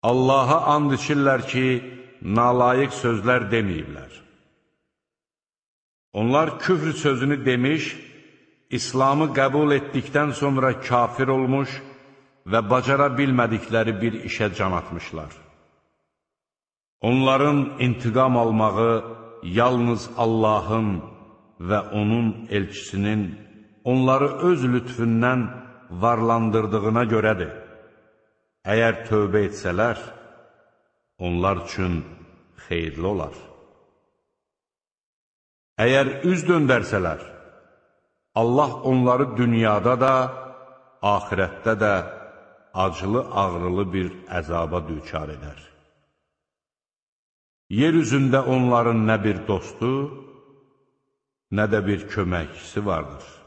Allaha and içirlər ki, nalayiq sözlər deməyiblər. Onlar küfr sözünü demiş, İslamı qəbul etdikdən sonra kafir olmuş və bacara bilmədikləri bir işə can atmışlar. Onların intiqam almağı yalnız Allahın və onun elçisinin onları öz lütfündən varlandırdığına görədir. Əgər tövbə etsələr, onlar üçün xeyirli olar. Əgər üz döndərsələr, Allah onları dünyada da, axirətdə də acılı-ağrılı bir əzaba düçar edər. Yer üzündə onların nə bir dostu, nə də bir köməkçisi vardır.